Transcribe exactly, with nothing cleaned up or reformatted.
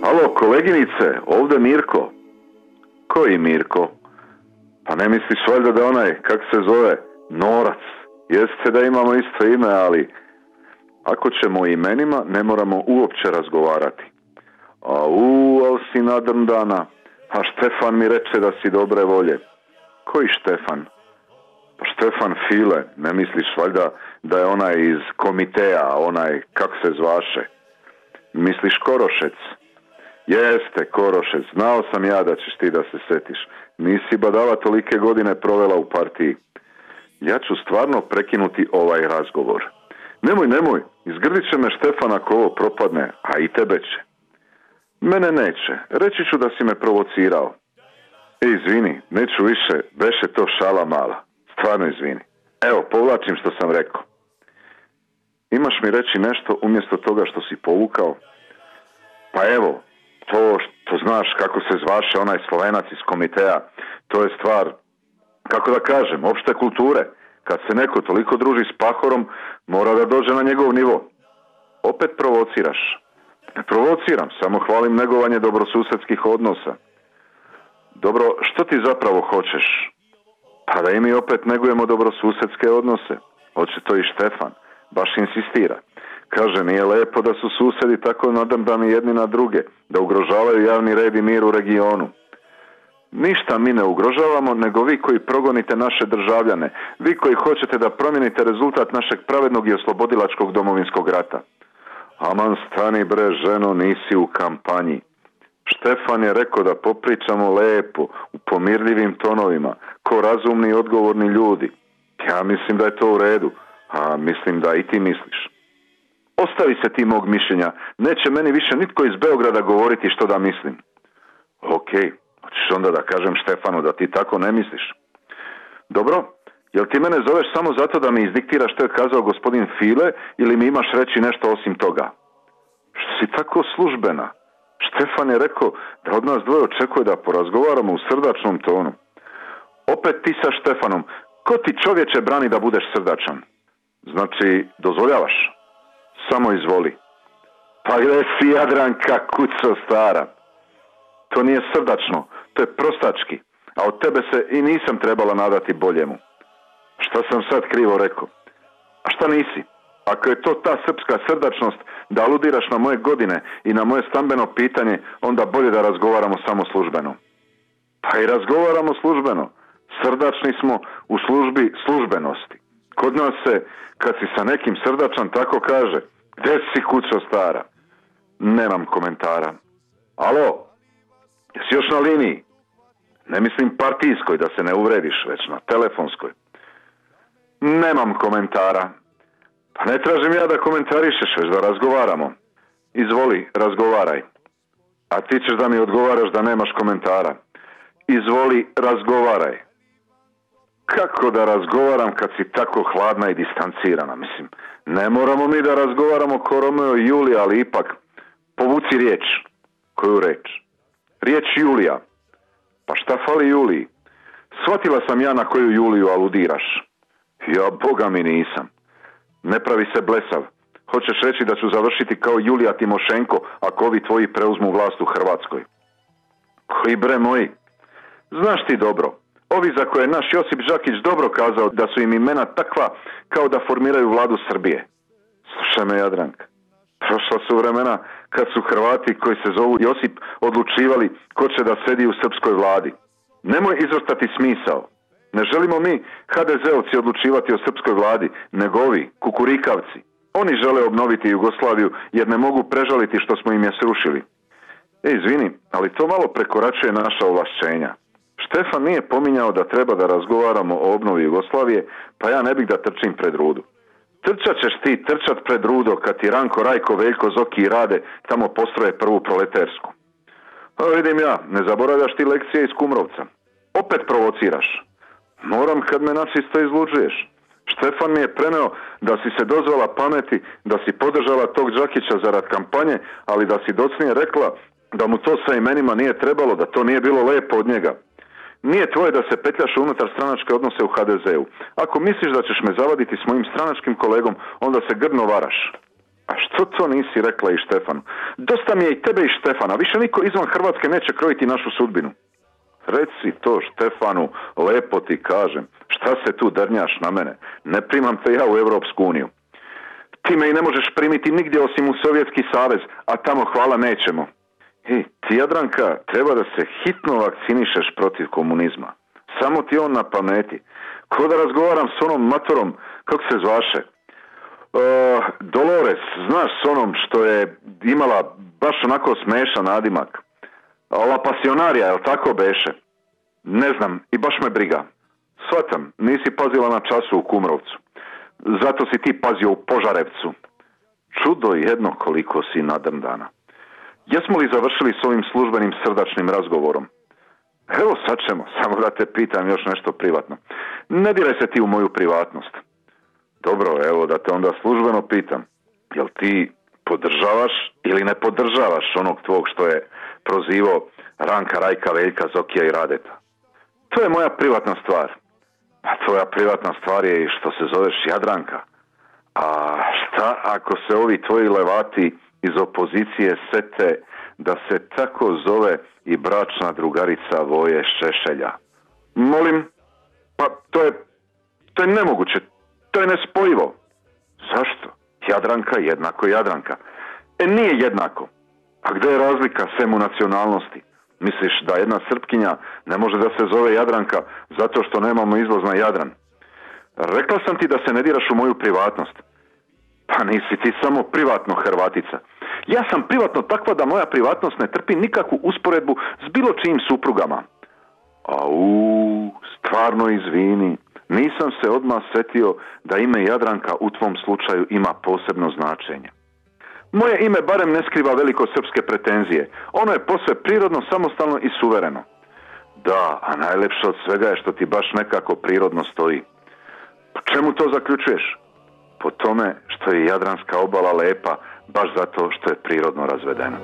Alo, koleginice, ovdje Mirko. Koji Mirko? Pa ne misliš valjda da onaj, kak se zove, Norac. Jeste da imamo isto ime, ali ako ćemo o imenima, ne moramo uopće razgovarati. A u, al si nadrndana. A Štefan mi reče da si dobre volje. Koji Štefan? Pa Štefan File, ne misliš valjda da je onaj iz komiteja, onaj, kak se zvaše? Misliš Korošec? Jeste, Korošec, znao sam ja da ćeš ti da se setiš. Nisi badava tolike godine provela u partiji. Ja ću stvarno prekinuti ovaj razgovor. Nemoj, nemoj, izgrdit će me Štefan ako ovo propadne, a i tebe će. Mene neće, reći ću da si me provocirao. E, izvini, neću više, beše to šala mala. Stvarno izvini. Evo, povlačim što sam rekao. Imaš mi reći nešto umjesto toga što si povukao? Pa evo, to što znaš kako se zvaše onaj Slovenac iz komiteja, to je stvar, kako da kažem, opšte kulture. Kad se neko toliko druži s Pahorom, mora da dođe na njegov nivo. Opet provociraš. Ne provociram, samo hvalim negovanje dobrosusedskih odnosa. Dobro, što ti zapravo hoćeš? Pa da i mi opet negujemo dobrosusedske odnose. Hoće to i Štefan. Baš insistira. Kaže, nije lepo da su susedi tako nadrndani jedni na druge, da ugrožavaju javni red i mir u regionu. Ništa mi ne ugrožavamo, nego vi koji progonite naše državljane, vi koji hoćete da promijenite rezultat našeg pravednog i oslobodilačkog domovinskog rata. Aman, stani bre, ženo, nisi u kampanji. Štefan je rekao da popričamo lepo, u pomirljivim tonovima, ko razumni i odgovorni ljudi. Ja mislim da je to u redu, a mislim da i ti misliš. Ostavi se ti mog mišljenja, neće meni više nitko iz Beograda govoriti što da mislim. Okej, hoćeš onda da kažem Štefanu da ti tako ne misliš. Dobro, jel ti mene zoveš samo zato da mi izdiktiraš što je kazao gospodin File ili mi imaš reći nešto osim toga? Što si tako službena? Štefan je rekao da od nas dvoje očekuje da porazgovaramo u srdačnom tonu. Opet ti sa Štefanom, ko ti čovječe brani da budeš srdačan? Znači, dozvoljavaš? Samo izvoli. Pa gdje si, Jadranka, kuco stara? To nije srdačno, to je prostački, a od tebe se i nisam trebala nadati boljemu. Šta sam sad krivo rekao? A šta nisi? Ako je to ta srpska srdačnost da aludiraš na moje godine i na moje stambeno pitanje, onda bolje da razgovaramo samo službeno. Pa i razgovaramo službeno. Srdačni smo u službi službenosti. Kod nas se, kad si sa nekim srdačan, tako kaže, gdje si, kućo stara? Nemam komentara. Alo, jesi još na liniji? Ne mislim partijskoj, da se ne uvrediš, već na telefonskoj. Nemam komentara. Pa ne tražim ja da komentarišeš, već da razgovaramo. Izvoli, razgovaraj. A ti ćeš da mi odgovaraš da nemaš komentara. Izvoli, razgovaraj. Kako da razgovaram kad si tako hladna i distancirana, mislim. Ne moramo mi da razgovaramo ko Romeo i Julija, ali ipak povuci riječ. Koju reč? Riječ Julija. Pa šta fali Juliji? Shvatila sam ja na koju Juliju aludiraš. Ja, boga mi nisam. Ne pravi se blesav. Hoćeš reći da ću završiti kao Julija Timošenko ako ovi tvoji preuzmu vlast u Hrvatskoj? Koji bre moji? Znaš ti dobro, ovi za koje je naš Josip Žakić dobro kazao da su im imena takva kao da formiraju vladu Srbije. Slušaj me, Jadranka. Prošla su vremena kad su Hrvati koji se zovu Josip odlučivali ko će da sedi u srpskoj vladi. Nemoj izvrtati smisao. Ne želimo mi ha de zeovci odlučivati o srpskoj vladi, nego ovi, kukurikavci. Oni žele obnoviti Jugoslaviju jer ne mogu prežaliti što smo im je srušili. E, izvini, ali to malo prekoračuje naša ovlašćenja. Štefan nije pominjao da treba da razgovaramo o obnovi Jugoslavije, pa ja ne bih da trčim pred rudu. Trčat ćeš ti trčat pred rudo kad ti Ranko, Rajko, Veljko, Zoki i Rade tamo postroje prvu proletersku. A vidim ja, ne zaboravljaš ti lekcije iz Kumrovca. Opet provociraš. Moram kad me načisto izluđuješ. Štefan mi je preneo da si se dozvala pameti, da si podržala tog Đakića zarad kampanje, ali da si docnije rekla da mu to sa imenima nije trebalo, da to nije bilo lepo od njega. Nije tvoje da se petljaš unutar stranačke odnose u ha de zeu. Ako misliš da ćeš me zavaditi s mojim stranačkim kolegom, onda se grdno varaš. A što Što to nisi rekla i Štefanu? Dosta mi je i tebe i Štefana, više niko izvan Hrvatske neće krojiti našu sudbinu. Reci to Štefanu, lepo ti kažem, šta se tu drnjaš na mene? Ne primam te ja u Europsku uniju. Ti me i ne možeš primiti nigdje osim u Sovjetski savez, a tamo hvala nećemo. I ti, Jadranka, treba da se hitno vakcinišeš protiv komunizma. Samo ti on na pameti. Ko da razgovaram s onom matorom, kako se zvaše? Uh, Dolores, znaš s onom što je imala baš onako smešan nadimak. La Pasionarija, jel tako beše? Ne znam, i baš me briga. Svatam, nisi pazila na času u Kumrovcu. Zato si ti pazio u Požarevcu. Čudo jedno koliko si nadrndana. Jesmo li završili s ovim službenim srdačnim razgovorom? Evo sad ćemo, samo da te pitam još nešto privatno. Ne diraj se ti u moju privatnost. Dobro, evo da te onda službeno pitam. Jel ti podržavaš ili ne podržavaš onog tvog što je prozivao Ranka, Rajka, Veljka, Zokija i Radeta? To je moja privatna stvar. A tvoja privatna stvar je i što se zoveš Jadranka. A šta ako se ovi tvoji levati iz opozicije sete da se tako zove i bračna drugarica Voje Šešelja? Molim, pa to je, to je nemoguće, to je nespojivo. Zašto? Jadranka jednako Jadranka. E nije jednako. A gdje je razlika sem u nacionalnosti? Misliš da jedna Srpkinja ne može da se zove Jadranka zato što nemamo izlaz na Jadran? Rekla sam ti da se ne diraš u moju privatnost. Pa nisi ti samo privatno Hrvatica. Ja sam privatno takva da moja privatnost ne trpi nikakvu usporedbu s bilo čijim suprugama. Au, stvarno izvini. Nisam se odmah setio da ime Jadranka u tvom slučaju ima posebno značenje. Moje ime barem ne skriva velikosrpske pretenzije. Ono je posve prirodno, samostalno i suvereno. Da, a najlepše od svega je što ti baš nekako prirodno stoji. Po čemu to zaključuješ? Po tome što je Jadranska obala lepa, baš zato što je prirodno razvedena.